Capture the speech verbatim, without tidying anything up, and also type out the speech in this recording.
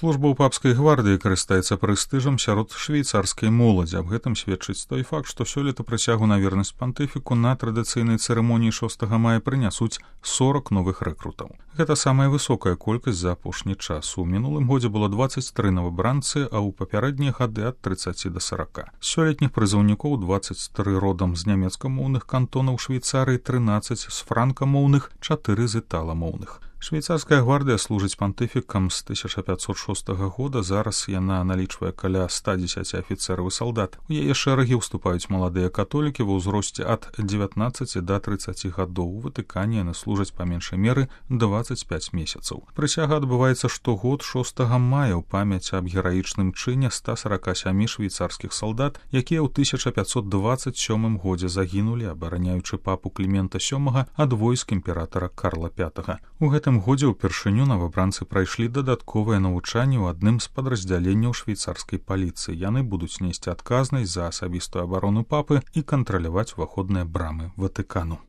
Служба ў папскай гвардыі карыстаецца прэстыжам сярод швейцарскай моладзі. Аб гэтым сведчыць той факт, што сёлета прысягу на вернасць пантыфіку на традыцыйнай цырымоніі шостага мая прынясуць сорак новых рэкрутаў. Гэта самая высокая колькасць за апошні час. У мінулым годзе было дваццаць тры новабранцы, а ў папярэднія гады ад трыццаці да сарака. Сёлетніх прызыўнікоў дваццаць тры родам з нямецкамоўных кантонаў Швейцарыі, трынаццаць з франкамоўных, чатыры з італамоўных. Швейцарская гвардыя служыць пантыфікам з тысяча пятьсот шостага года, зараз яна налічвае каля ста дзесяці афіцэраў і салдат. У яе шэрагі ўступаюць маладыя католікі ва ўзросце ад дзевятнаццаці да трыццаці гадоў. У Ватыкане яны служаць па меншай меры дваццаць пяць месяцаў. Прысяга адбываецца штогод шостага мая ў памяць аб гераічным чыне ста сарака сямі швейцарскіх салдат, якія ў тысяча пятьсот дваццаць сёмым годзе загінулі, абараняючы папу Клімента сёмага ад войск імператара Карла пятага. У гэтым годзе ўпершыню новабранцы прайшлі дадатковае навучанне ў адным з падраздзяленняў швейцарскай паліцыі. Яны будуць несці адказнасць за асабістую абарону папы і кантраляваць уваходныя брамы Ватыкану.